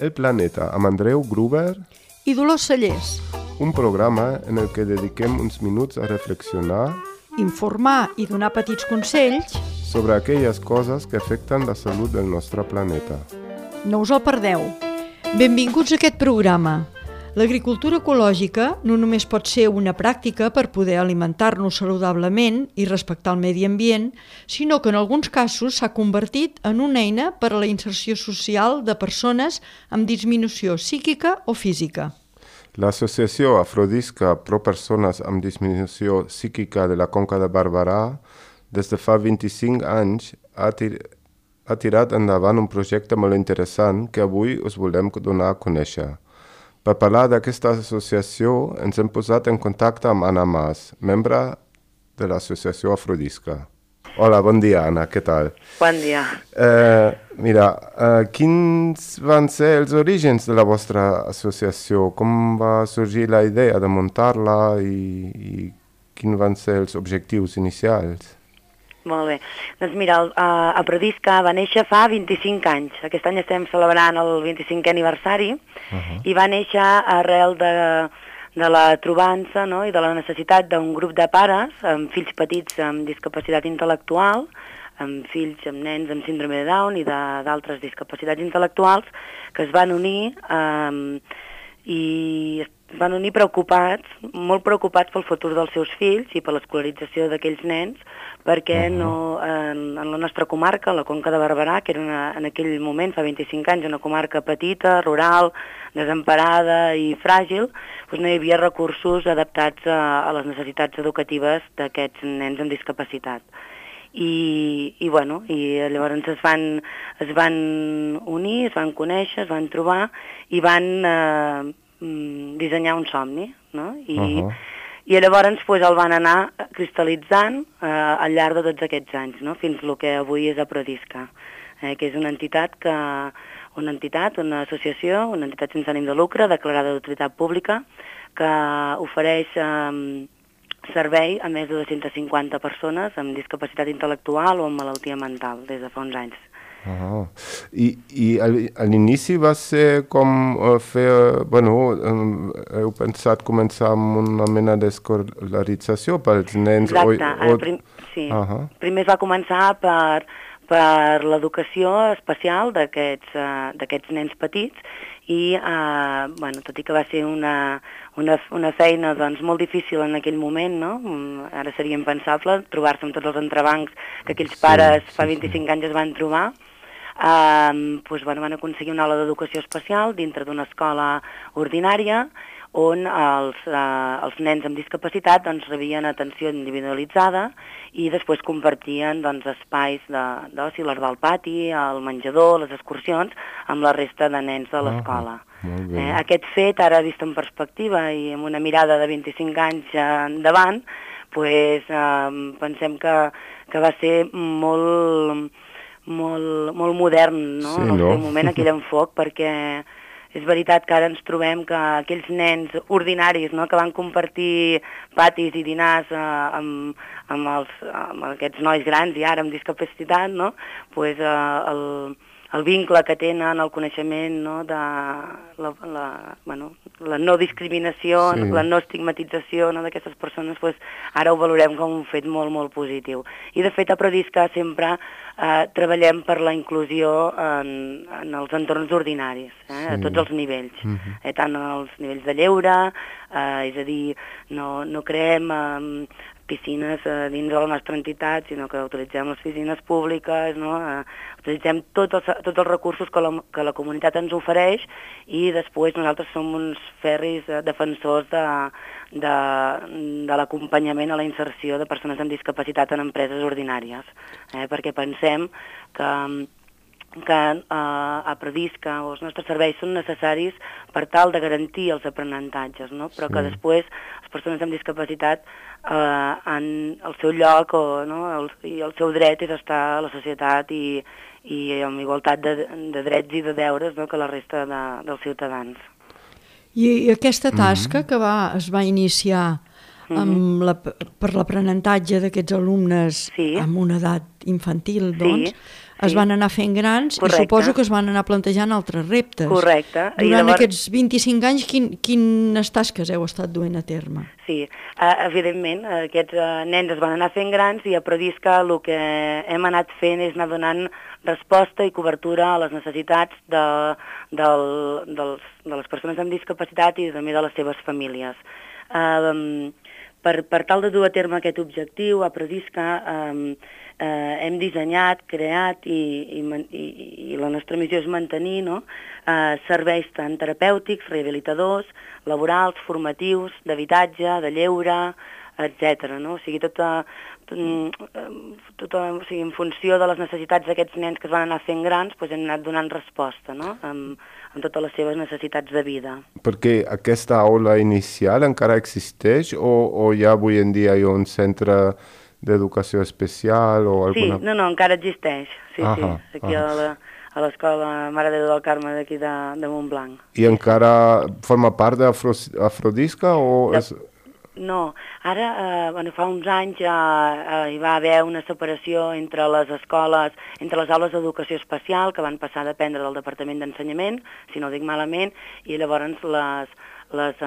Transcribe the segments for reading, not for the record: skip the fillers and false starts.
El Planeta amb Andreu Gruber i Dolors Cellers. Un programa en el que dediquem uns minuts a reflexionar, informar i donar petits consells sobre aquelles coses que afecten la salut del nostre planeta. No us el perdeu. Benvinguts a aquest programa. L'agricultura ecològica no només pot ser una pràctica per poder alimentar-nos saludablement i respectar el medi ambient, sinó que en alguns casos s'ha convertit en una eina per a la inserció social de persones amb disminució psíquica o física. L'associació Afrodisca Pro Persones amb Disminució Psíquica de la Conca de Barberà, des de fa 25 anys, ha tirat endavant un projecte molt interessant que avui us volem donar a conèixer. Per parlar d'aquesta associació, ens hem posat en contacte amb Anna Mas, membre de l'associació Afrodisca. Hola, bon dia, Anna, què tal? Bon dia. Quins van ser els orígens de la vostra associació? Com va sorgir la idea de muntar-la i quins van ser els objectius inicials? Molt bé. Doncs mira, Afrodisca va néixer fa 25 anys. Aquest any estem celebrant el 25è aniversari i va néixer arrel de la trobança, no?, i de la necessitat d'un grup de pares amb fills petits amb discapacitat intel·lectual, amb fills, amb nens amb síndrome de Down i d'altres discapacitats intel·lectuals, que es van unir i es van unir preocupats, molt preocupats pel futur dels seus fills i per l'escolarització d'aquells nens, perquè no, en la nostra comarca, la Conca de Barberà, que era en aquell moment, fa 25 anys, una comarca petita, rural, desemparada i fràgil, doncs no hi havia recursos adaptats a les necessitats educatives d'aquests nens amb discapacitat. I llavors es van unir, es van conèixer, es van trobar i van dissenyar un somni, no? I llavors el van anar cristal·litzant al llarg de tots aquests anys, no? Fins el que avui és Afrodisca, que és una associació, una entitat sense ànim de lucre, declarada d'utilitat pública, que ofereix servei a més de 250 persones amb discapacitat intel·lectual o amb malaltia mental des de fa uns anys. I a l'inici va ser com heu pensat començar amb una mena d'escolarització pels nens? Exacte, primer es va començar per l'educació especial d'aquests nens petits i, tot i que va ser una feina doncs, molt difícil en aquell moment, no? Ara seria impensable trobar-se amb tots els entrebancs que aquells pares fa 25 anys es van trobar. Van aconseguir una aula d'educació especial dintre d'una escola ordinària on els nens amb discapacitat rebien atenció individualitzada i després compartien espais d'oci, l'hort del pati, el menjador, les excursions, amb la resta de nens de l'escola. Aquest fet, ara vist en perspectiva i amb una mirada de 25 anys endavant, pensem que va ser molt modern, no? En el seu moment, aquell enfoc, perquè és veritat que ara ens trobem que aquells nens ordinaris, no?, que van compartir patis i dinars amb aquests nois grans i ara amb discapacitat, no?, el vincle que tenen, el coneixement, no?, de la no discriminació, la no estigmatització, no?, d'aquestes persones, ara ho valorem com un fet molt, molt positiu. I de fet a Afrodisca sempre treballem per la inclusió en els entorns ordinaris, a tots els nivells, tant als nivells de lleure, és a dir, no creem piscines dins de la nostra entitat, sinó que utilitzem les piscines públiques, no? Utilitzem tots els recursos que la comunitat ens ofereix i després nosaltres som uns ferris defensors de l'acompanyament a la inserció de persones amb discapacitat en empreses ordinàries, perquè pensem que a Afrodisca o els nostres serveis són necessaris per tal de garantir els aprenentatges, no? Però que després les persones amb discapacitat han el seu lloc i el seu dret és estar a la societat i amb igualtat de drets i de deures, no?, que la resta dels ciutadans. I aquesta tasca que es va iniciar per l'aprenentatge d'aquests alumnes amb una edat infantil, doncs, es van anar fent grans. Correcte. I suposo que es van anar plantejant altres reptes. Correcte. Durant aquests 25 anys, quines tasques heu estat duent a terme? Sí, evidentment, aquests nens es van anar fent grans i a Prodisca el que hem anat fent és anar donant resposta i cobertura a les necessitats de les persones amb discapacitat i també de les seves famílies. Per tal de dur a terme aquest objectiu, a Prodisca hem dissenyat, creat i la nostra missió és mantenir serveis tant terapèutics, rehabilitadors, laborals, formatius, d'habitatge, de lleure, etc. O sigui, o sigui, en funció de les necessitats d'aquests nens que es van anar fent grans, doncs hem anat donant resposta amb totes les seves necessitats de vida. Perquè aquesta aula inicial encara existeix o ja avui en dia hi ha un centre d'educació especial o alguna... Sí, no, encara existeix. Sí, aquí a l'escola Mare de Déu del Carme d'aquí de Montblanc. I encara forma part d'Afrodisca o... No, ara, fa uns anys hi va haver una separació entre les escoles, entre les aules d'educació especial, que van passar a dependre del Departament d'Ensenyament, si no ho dic malament, i llavors les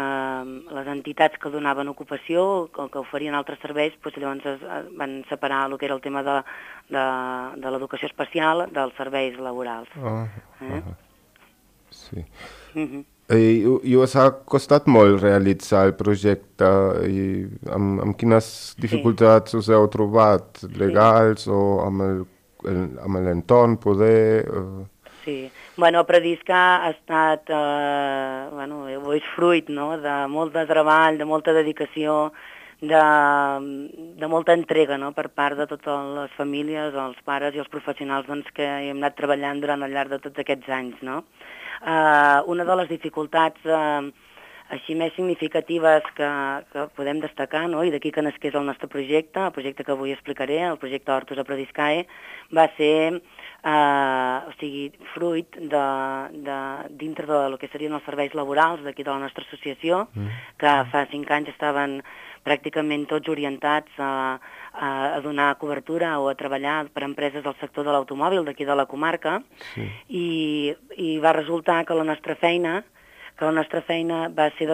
entitats que donaven ocupació, que oferien altres serveis, doncs llavors van separar el que era el tema de l'educació especial dels serveis laborals. Sí. I us ha costat molt realitzar el projecte i amb quines dificultats us heu trobat, legals o amb l'entorn, poder... Sí, a Prodisca ha estat, és fruit de molt de treball, de molta dedicació, de molta entrega per part de totes les famílies, els pares i els professionals que hem anat treballant durant el llarg de tots aquests anys. Una de les dificultats així més significatives que podem destacar, i d'aquí que nasqués el nostre projecte, el projecte que avui explicaré, el projecte Hortus a Prodiscae, va ser fruit dintre del que serien els serveis laborals d'aquí de la nostra associació, que fa 5 anys estaven pràcticament tots orientats a donar cobertura o a treballar per empreses del sector de l'automòbil d'aquí de la comarca, i va resultar que la nostra feina va ser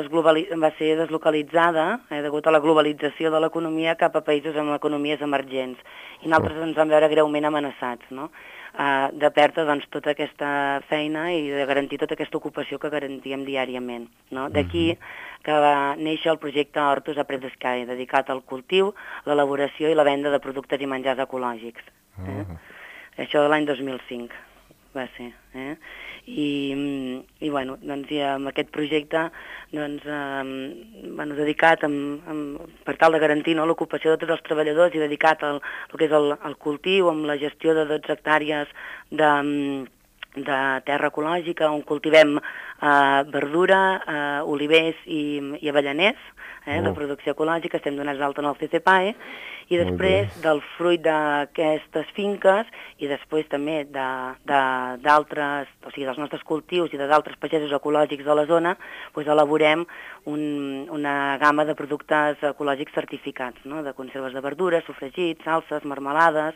deslocalitzada degut a la globalització de l'economia cap a països amb economies emergents. I nosaltres ens vam veure greument amenaçats, de perdre tota aquesta feina i de garantir tota aquesta ocupació que garantíem diàriament. D'aquí que va néixer el projecte Hortus a Prodiscae, dedicat al cultiu, l'elaboració i la venda de productes i menjars ecològics. Això de l'any 2005 va ser. I amb aquest projecte dedicat per tal de garantir l'ocupació de tots els treballadors i dedicat al que és el cultiu, amb la gestió de 12 hectàrees de terra ecològica on cultivem verdura, olivers i avellaners, de producció ecològica, estem donats d'alta en el CCPAE, i després del fruit d'aquestes finques i després també d'altres, o sigui, dels nostres cultius i d'altres pagesos ecològics de la zona, elaborem una gamma de productes ecològics certificats, de conserves de verdures, sofregits, salses, marmelades,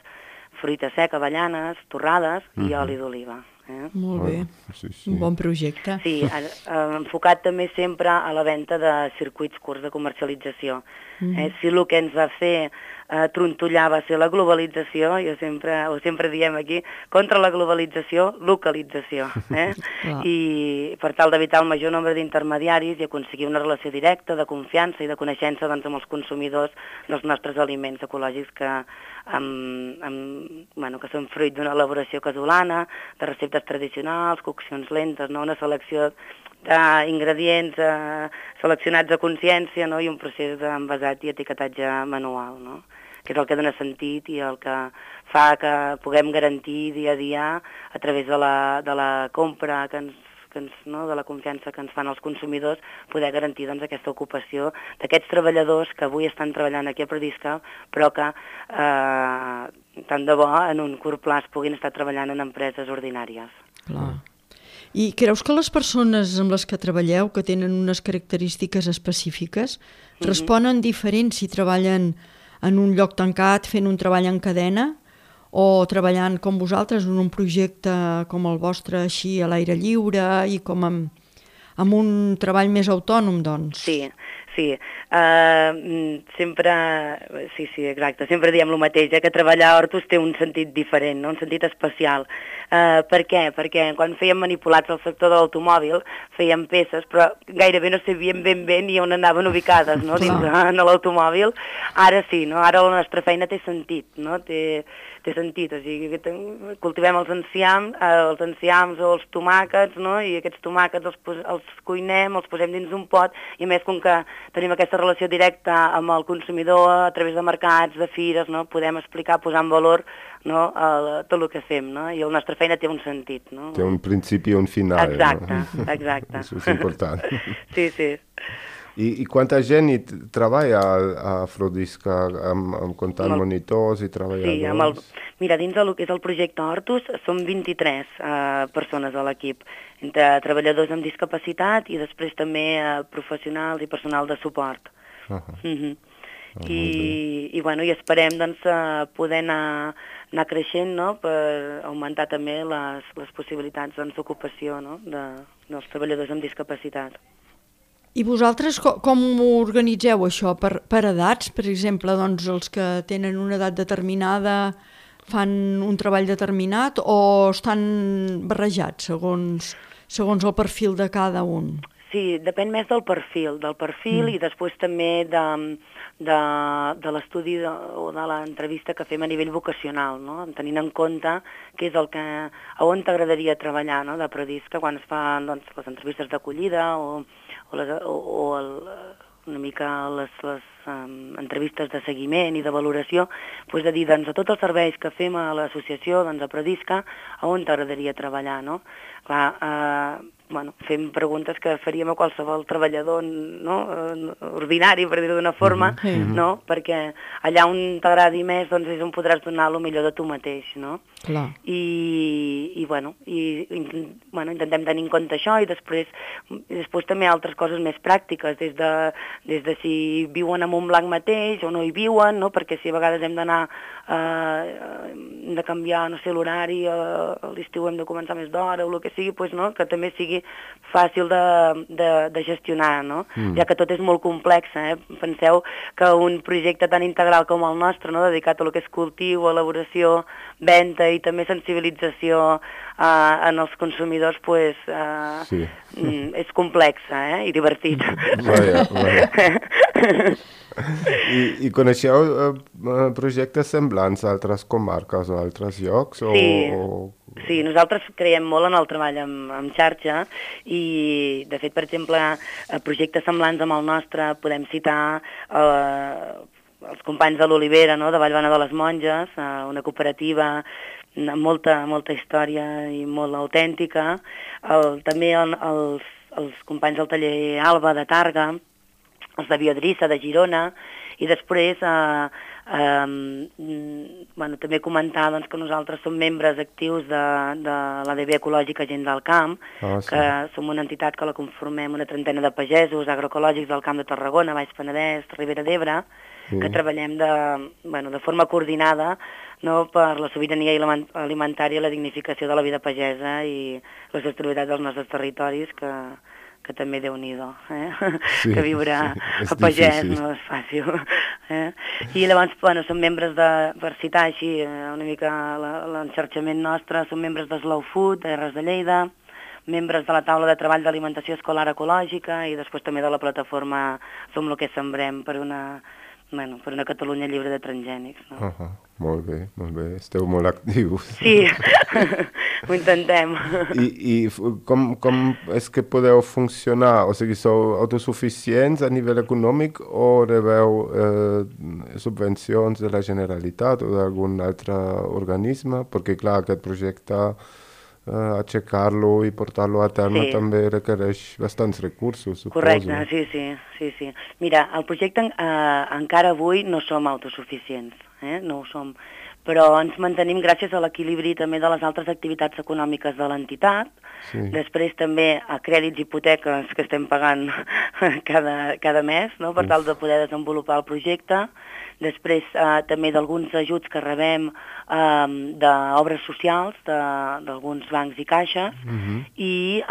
fruita seca, avellanes, torrades i oli d'oliva. Molt bé, un bon projecte. Sí, enfocat també sempre a la venda de circuits curts de comercialització. Si el que ens va fer trontollar va ser la globalització, sempre diem aquí, contra la globalització, localització. I per tal d'evitar el major nombre d'intermediaris i aconseguir una relació directa, de confiança i de coneixença amb els consumidors dels nostres aliments ecològics que són fruit d'una elaboració casolana, de receptes tradicionals, coccions lentes, una selecció d'ingredients seleccionats a consciència i un procés d'envasat i etiquetatge manual, que és el que dona sentit i el que fa que puguem garantir dia a dia a través de la compra de la confiança que ens fan els consumidors, poder garantir aquesta ocupació d'aquests treballadors que avui estan treballant aquí a Prodisca, però que tant de bo en un curt plaç puguin estar treballant en empreses ordinàries. Clar. I creus que les persones amb les que treballeu, que tenen unes característiques específiques, responen diferent si treballen en un lloc tancat, fent un treball en cadena, o treballant com vosaltres en un projecte com el vostre, així a l'aire lliure i com amb un treball més autònom, doncs. Sí. Sí, exacte. Sempre diem el mateix, que treballar a Hortus té un sentit diferent, no? Un sentit especial. Per què? Perquè quan fèiem manipulats al sector de l'automòbil, fèiem peces, però gairebé no sabíem ben ni on anaven ubicades, no? Dins de l'automòbil. Ara sí, no? Ara la nostra feina té sentit, no? Té sentit, o sigui, cultivem els enciams o els tomàquets, no? I aquests tomàquets els cuinem, els posem dins d'un pot, i a més, com que tenim aquesta relació directa amb el consumidor a través de mercats, de fires, no? Podem explicar, posar en valor, no? Tot el que fem, no? I la nostra feina té un sentit, no? Té un principi i un final. Exacte, no? Exacte. Això és important. Sí. I quanta gent hi treballa a Afrodisca, comptant monitors i treballadors? Sí, mira, dins del que és el projecte Hortus som 23 persones a l'equip, entre treballadors amb discapacitat i després també professionals i personal de suport. I esperem doncs, poder anar creixent, no? Per augmentar també les possibilitats d'ocupació, no? dels treballadors amb discapacitat. I vosaltres com ho organitzeu, això? Per edats, per exemple, doncs els que tenen una edat determinada fan un treball determinat o estan barrejats segons el perfil de cada un? Sí, depèn més del perfil i després també de l'estudi o de l'entrevista que fem a nivell vocacional, no? Tenint en compte què és a on t'agradaria treballar, no? De Prodisca, quan es fan doncs, les entrevistes d'acollida o una mica les entrevistes de seguiment i de valoració, doncs de dir, doncs, a tots els serveis que fem a l'associació, doncs, a Prodisca, a on t'agradaria treballar, no? Clar, fem preguntes que faríem a qualsevol treballador, no? Ordinari, per dir-ho d'una forma, no? Perquè allà on t'agradi més, doncs, és on podràs donar el millor de tu mateix, no? Clar. Intentem tenir en compte això i després també altres coses més pràctiques, des de si viuen a Montblanc mateix o no hi viuen, no? Perquè si a vegades hem d'anar hem de canviar, no sé, l'horari, a l'estiu hem de començar més d'hora o el que sigui, doncs, no? Que també sigui fàcil de gestionar, no? Ja que tot és molt complex, Penseu que un projecte tan integral com el nostre, no? Dedicat a lo que és cultiu, elaboració, venda i també sensibilització en els consumidors, és complex i divertit. I coneixeu projectes semblants a altres comarques o a altres llocs? Sí, nosaltres creiem molt en el treball amb xarxa i, de fet, per exemple, projectes semblants amb el nostre podem citar els companys de l'Olivera, no? De Vallbona de les Monges, una cooperativa amb molta història i molt autèntica, també els companys del taller Alba de Targa, els de Biodrissa de Girona, i després també comentar doncs, que nosaltres som membres actius de l'ADB Ecològica Gent del Camp, que som una entitat que la conformem una trentena de pagesos agroecològics del Camp de Tarragona, Baix Penedès, Ribera d'Ebre, que treballem de forma coordinada, no, per la sobirania alimentària i la dignificació de la vida pagesa i la sostenibilitat dels nostres territoris, que també Déu-n'hi-do, que viure a pagès no és fàcil. I llavors, som membres per citar així una mica l'enxarxament nostre, som membres de Slow Food, de Terres de Lleida, membres de la taula de treball d'alimentació escolar ecològica i després també de la plataforma Som lo que sembrem per una Catalunya lliure de transgènics. No? Molt bé, esteu molt actius. Sí, ho intentem. I com és que podeu funcionar? O sigui, sou autosuficients a nivell econòmic o rebeu subvencions de la Generalitat o d'algun altre organisme? Perquè, clar, aquest projecte aixecar-lo i portar-lo a terme també requereix bastants recursos, suposo. Correcte, sí. Mira, el projecte encara avui no som autosuficients, no ho som, però ens mantenim gràcies a l'equilibri també de les altres activitats econòmiques de l'entitat. Sí. Després també a crèdits i hipoteques que estem pagant cada mes, no? Per tal de poder desenvolupar el projecte. Després també d'alguns ajuts que rebem d'obres socials d'alguns bancs i caixes, i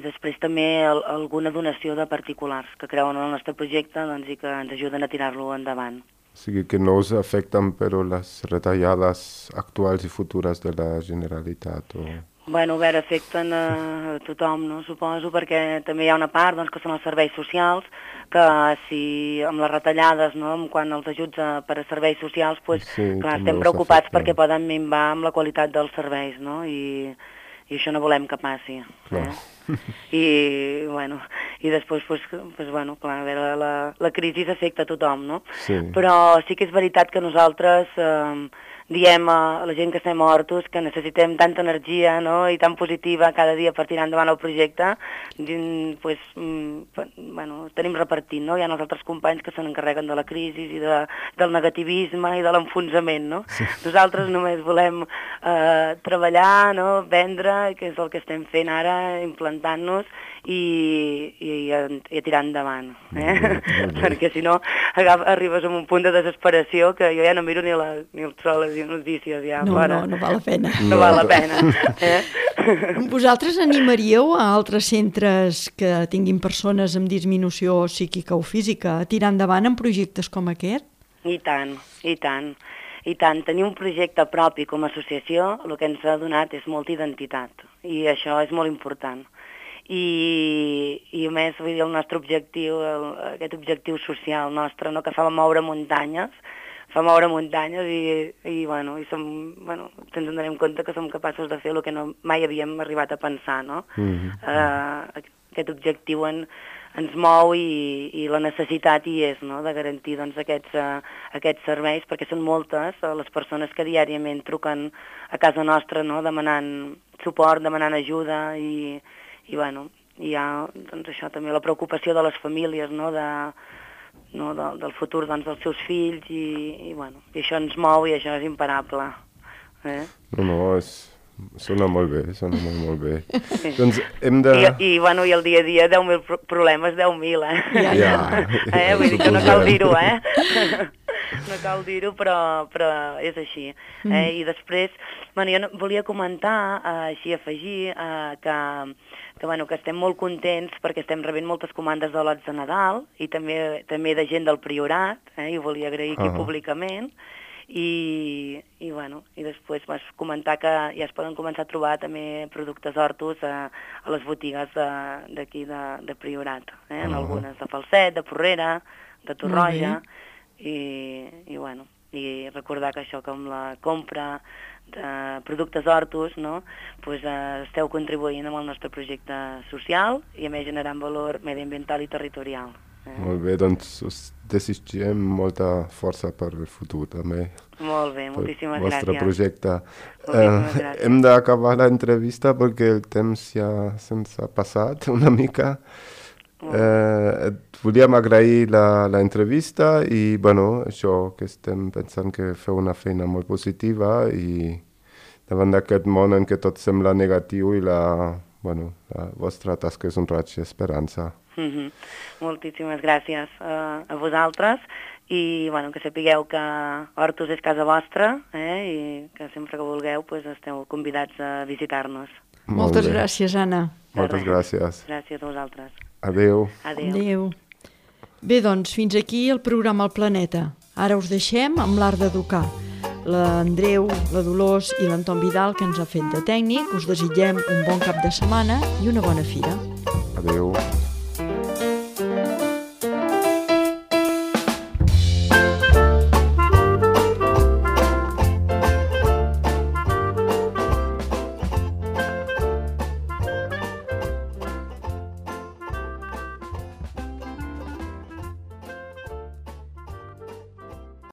després també alguna donació de particulars que creuen en el nostre projecte, doncs, i que ens ajuden a tirar-lo endavant. O sigui que no us afecten però les retallades actuals i futures de la Generalitat? Bueno, a veure, afecten a tothom, no? Suposo, perquè també hi ha una part, doncs, que són els serveis socials, que si amb les retallades, no, quan els ajuts per a serveis socials, doncs, sí, clar, estem preocupats perquè poden minvar amb la qualitat dels serveis, no? I això no volem que passi. I després, clar, a veure, la crisi afecta a tothom, no? Sí. Però sí que és veritat que nosaltres diem a la gent que estem a Hortus que necessitem tanta energia, no?, i tan positiva cada dia per tirar endavant el projecte, tenim repartit, no? Hi ha els altres companys que se n'encarreguen de la crisi i del negativisme i de l'enfonsament, no? Sí. Nosaltres només volem treballar, no?, vendre, que és el que estem fent ara, implantant-nos i a tirar endavant, perquè si no arribes a un punt de desesperació que jo ja no miro ni el sol, les notícies ja. No val la pena. No val la pena. Vosaltres animaríeu a altres centres que tinguin persones amb disminució psíquica o física a tirar endavant en projectes com aquest? I tant, i tant. I tant, tenir un projecte propi com a associació el que ens ha donat és molta identitat i això és molt important. I a més, vull dir, el nostre objectiu, aquest objectiu social nostre, no, que fa moure muntanyes i ens donem compte que som capaços de fer el que mai havíem arribat a pensar, no? Aquest objectiu ens mou i la necessitat hi és, no?, de garantir, doncs, aquests serveis, perquè són moltes les persones que diàriament truquen a casa nostra, no?, demanant suport, demanant ajuda i hi ha, doncs, això també, la preocupació de les famílies, no?, del futur, doncs, dels seus fills i això ens mou i això és imparable. Sona molt bé, molt bé. Sí. Doncs hem de... I el dia a dia, 10.000 problemes, 10.000, Ja. Vull dir que no cal dir-ho, No cal dir-ho, però és així. I després, jo volia comentar, així afegir, que estem molt contents perquè estem rebent moltes comandes de lots de Nadal i també de gent del Priorat, i ho volia agrair aquí públicament. I després vas comentar que ja es poden començar a trobar també productes Hortus a les botigues d'aquí de Priorat, en algunes de Falset, de Porrera, de Torroja, i recordar que això, que amb la compra de productes Hortus, no, esteu contribuint amb el nostre projecte social i a més generant valor mediambiental i territorial. Molt bé, doncs us desitgem molta força per el futur també. Molt bé, moltíssimes gràcies. Vostre projecte. Moltíssimes gràcies. Hem d'acabar l'entrevista perquè el temps ja se'ns ha passat una mica. Volíem agrair l'entrevista i això que estem pensant que feu una feina molt positiva i davant d'aquest món en què tot sembla negatiu i la vostra tasca és un raig d'esperança. Moltíssimes gràcies a vosaltres i que sapigueu que Hortus és casa vostra i que sempre que vulgueu esteu convidats a visitar-nos. Moltes gràcies, Anna. Moltes gràcies. Gràcies a vosaltres. Adéu. Adéu. Bé, doncs, fins aquí el programa El Planeta. Ara us deixem amb l'Art d'Educar. L'Andreu, la Dolors i l'Anton Vidal, que ens ha fet de tècnic, us desitgem un bon cap de setmana i una bona fira. Adéu.